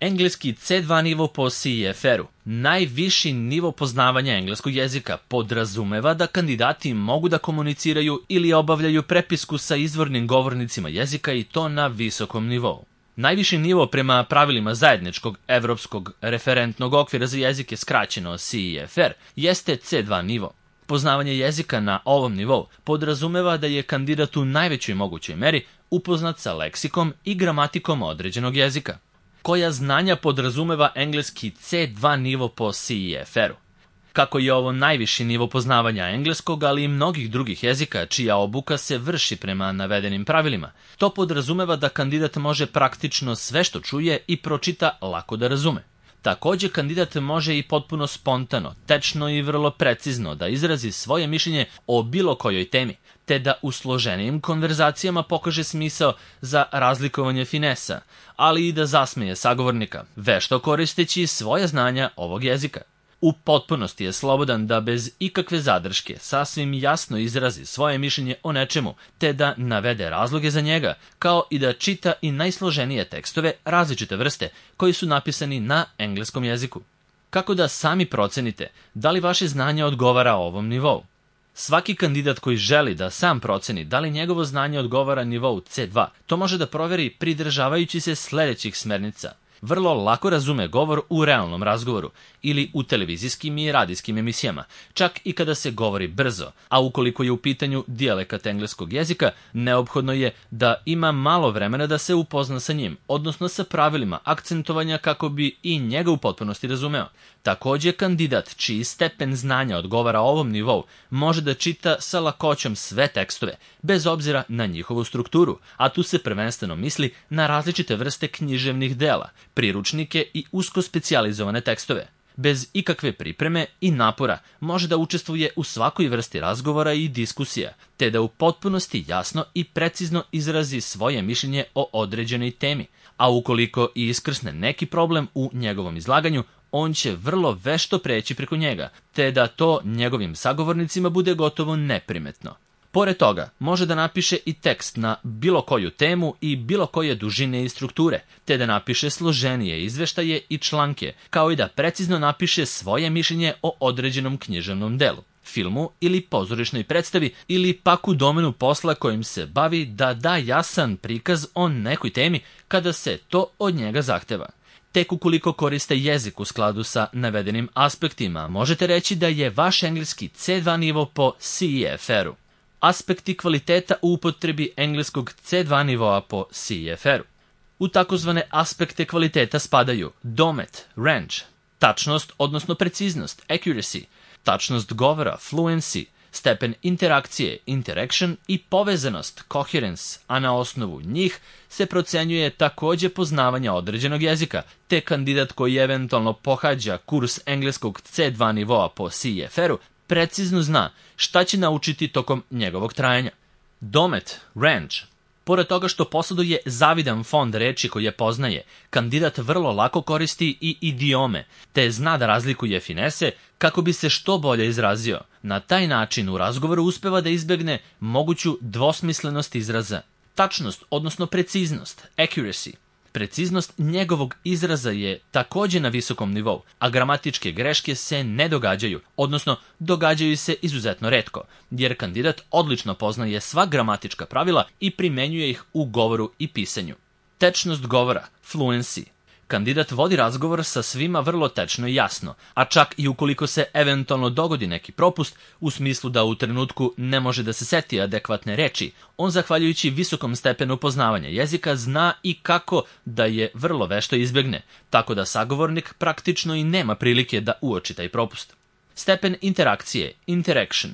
Engleski C2 nivo po CEFR-u, najviši nivo poznavanja engleskog jezika, podrazumeva da kandidati mogu da komuniciraju ili obavljaju prepisku sa izvornim govornicima jezika i to na visokom nivou. Najviši nivo prema pravilima zajedničkog evropskog referentnog okvira za jezike, skraćeno CEFR, jeste C2 nivo. Poznavanje jezika na ovom nivou podrazumeva da je kandidat u najvećoj mogućoj meri upoznat sa leksikom i gramatikom određenog jezika. Koja znanja podrazumeva engleski C2 nivo po CEFR-u? Kako je ovo najviši nivo poznavanja engleskog, ali i mnogih drugih jezika, čija obuka se vrši prema navedenim pravilima, to podrazumeva da kandidat može praktično sve što čuje i pročita lako da razume. Takođe, kandidat može i potpuno spontano, tečno i vrlo precizno da izrazi svoje mišljenje o bilo kojoj temi, te da u složenijim konverzacijama pokaže smisao za razlikovanje finesa, ali i da zasmeje sagovornika, vešto koristeći svoja znanja ovog jezika. U potpunosti je slobodan da bez ikakve zadrške sasvim jasno izrazi svoje mišljenje o nečemu, te da navede razloge za njega, kao i da čita i najsloženije tekstove različite vrste koji su napisani na engleskom jeziku. Kako da sami procenite da li vaše znanje odgovara ovom nivou? Svaki kandidat koji želi da sam proceni da li njegovo znanje odgovara nivou C2, to može da proveri pridržavajući se sledećih smernica. Vrlo lako razume govor u realnom razgovoru ili u televizijskim i radijskim emisijama, čak i kada se govori brzo, a ukoliko je u pitanju dijalekat engleskog jezika, neophodno je da ima malo vremena da se upozna sa njim, odnosno sa pravilima akcentovanja kako bi i njega u potpunosti razumeo. Takođe, kandidat čiji stepen znanja odgovara ovom nivou može da čita sa lakoćom sve tekstove, bez obzira na njihovu strukturu, a tu se prvenstveno misli na različite vrste književnih dela, priručnike i usko specijalizovane tekstove. Bez ikakve pripreme i napora može da učestvuje u svakoj vrsti razgovora i diskusija, te da u potpunosti jasno i precizno izrazi svoje mišljenje o određenoj temi, a ukoliko i iskrsne neki problem u njegovom izlaganju, on će vrlo vešto preći preko njega, te da to njegovim sagovornicima bude gotovo neprimetno. Pored toga, može da napiše i tekst na bilo koju temu i bilo koje dužine i strukture, te da napiše složenije izveštaje i članke, kao i da precizno napiše svoje mišljenje o određenom književnom delu, filmu ili pozorišnoj predstavi ili pak u domenu posla kojim se bavi da da jasan prikaz o nekoj temi kada se to od njega zahteva. Tek ukoliko koriste jezik u skladu sa navedenim aspektima, možete reći da je vaš engleski C2 nivo po CEFR-u. Aspekti kvaliteta u upotrebi engleskog C2 nivoa po CEFR-u. U takozvane aspekte kvaliteta spadaju domet, range, tačnost odnosno preciznost, accuracy, tačnost govora, fluency, stepen interakcije, interaction i povezanost, coherence, a na osnovu njih se procenjuje takođe poznavanje određenog jezika, te kandidat koji eventualno pohađa kurs engleskog C2 nivoa po CEFR-u precizno zna šta će naučiti tokom njegovog trajanja. Domet, range. Pored toga što posjeduje zavidan fond reči koje poznaje, kandidat vrlo lako koristi i idiome, te zna da razlikuje finese kako bi se što bolje izrazio. Na taj način u razgovoru uspeva da izbegne moguću dvosmislenost izraza. Tačnost, odnosno preciznost, accuracy. Preciznost njegovog izraza je takođe na visokom nivou, a gramatičke greške se ne događaju, odnosno događaju se izuzetno retko, jer kandidat odlično poznaje sva gramatička pravila i primenjuje ih u govoru i pisanju. Tečnost govora, fluency. Kandidat vodi razgovor sa svima vrlo tečno i jasno, a čak i ukoliko se eventualno dogodi neki propust, u smislu da u trenutku ne može da se seti adekvatne reči, on zahvaljujući visokom stepenu poznavanja jezika zna i kako da je vrlo vešto izbegne, tako da sagovornik praktično i nema prilike da uoči taj propust. Stepen interakcije, interaction.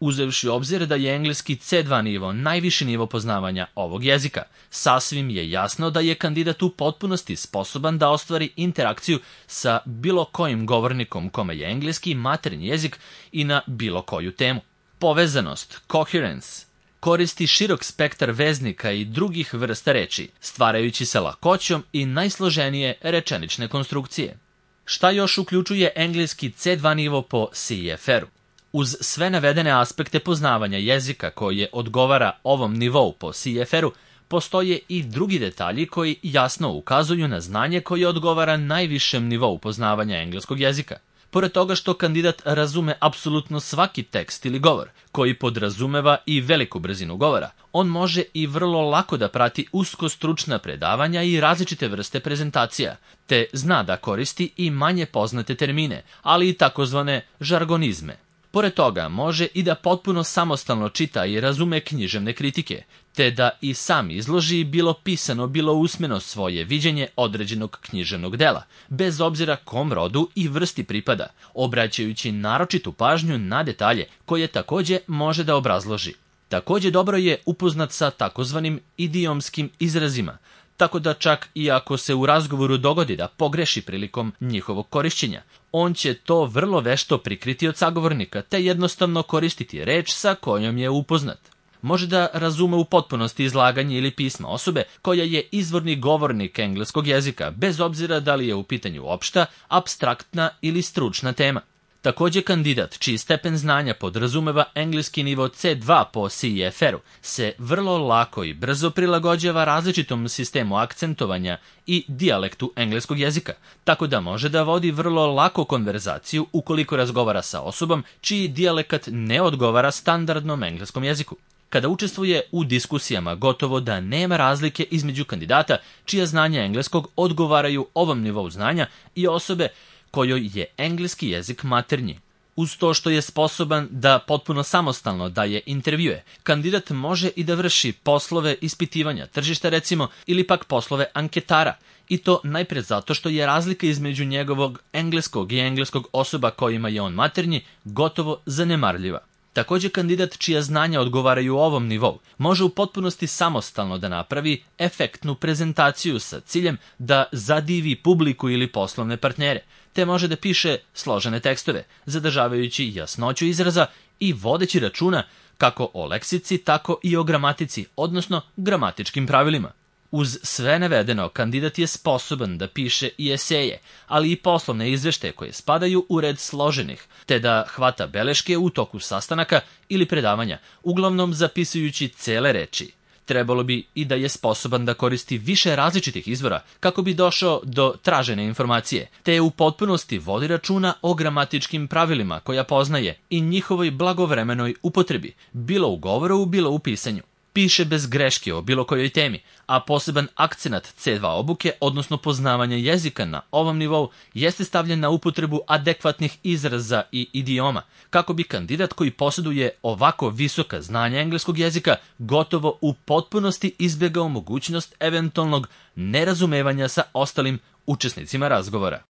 Uzevši u obzir da je engleski C2 nivo najviši nivo poznavanja ovog jezika, sasvim je jasno da je kandidat u potpunosti sposoban da ostvari interakciju sa bilo kojim govornikom kome je engleski maternji jezik i na bilo koju temu. Povezanost, coherence. Koristi širok spektar veznika i drugih vrsta reči, stvarajući se lakoćom i najsloženije rečenične konstrukcije. Šta još uključuje engleski C2 nivo po CEFR-u? Uz sve navedene aspekte poznavanja jezika koje odgovara ovom nivou po CEFR-u, postoje i drugi detalji koji jasno ukazuju na znanje koje odgovara najvišem nivou poznavanja engleskog jezika. Pored toga što kandidat razume apsolutno svaki tekst ili govor, koji podrazumeva i veliku brzinu govora, on može i vrlo lako da prati usko stručna predavanja i različite vrste prezentacija, te zna da koristi i manje poznate termine, ali i takozvane žargonizme. Pored toga, može i da potpuno samostalno čita i razume književne kritike, te da i sam izloži bilo pisano, bilo usmeno svoje viđenje određenog književnog dela, bez obzira kom rodu i vrsti pripada, obraćajući naročitu pažnju na detalje koje takođe može da obrazloži. Takođe dobro je upoznat sa takozvanim idiomskim izrazima, tako da čak i ako se u razgovoru dogodi da pogreši prilikom njihovog korišćenja, on će to vrlo vešto prikriti od sagovornika, te jednostavno koristiti reč sa kojom je upoznat. Može da razume u potpunosti izlaganje ili pisma osobe koja je izvorni govornik engleskog jezika, bez obzira da li je u pitanju opšta, apstraktna ili stručna tema. Takođe, kandidat čiji stepen znanja podrazumeva engleski nivo C2 po CEFR-u se vrlo lako i brzo prilagođava različitom sistemu akcentovanja i dijalektu engleskog jezika, tako da može da vodi vrlo lako konverzaciju ukoliko razgovara sa osobom čiji dijalekat ne odgovara standardnom engleskom jeziku. Kada učestvuje u diskusijama, gotovo da nema razlike između kandidata čija znanja engleskog odgovaraju ovom nivou znanja i osobe kojoj je engleski jezik maternji. Uz to što je sposoban da potpuno samostalno daje intervjue, kandidat može i da vrši poslove ispitivanja tržišta recimo ili pak poslove anketara, i to najpre zato što je razlika između njegovog engleskog i engleskog osoba kojima je on maternji gotovo zanemarljiva. Takođe, kandidat čija znanja odgovaraju ovom nivou može u potpunosti samostalno da napravi efektnu prezentaciju sa ciljem da zadivi publiku ili poslovne partnere, te može da piše složene tekstove, zadržavajući jasnoću izraza i vodeći računa kako o leksici, tako i o gramatici, odnosno gramatičkim pravilima. Uz sve navedeno, kandidat je sposoban da piše i eseje, ali i poslovne izveštaje koje spadaju u red složenih, te da hvata beleške u toku sastanaka ili predavanja, uglavnom zapisujući cele reči. Trebalo bi i da je sposoban da koristi više različitih izvora kako bi došao do tražene informacije, te u potpunosti vodi računa o gramatičkim pravilima koja poznaje i njihovoj blagovremenoj upotrebi, bilo u govoru, bilo u pisanju. Piše bez greške o bilo kojoj temi, a poseban akcenat C2 obuke, odnosno poznavanja jezika na ovom nivou, jeste stavljen na upotrebu adekvatnih izraza i idioma, kako bi kandidat koji posjeduje ovako visoka znanja engleskog jezika gotovo u potpunosti izbjegao mogućnost eventualnog nerazumevanja sa ostalim učesnicima razgovora.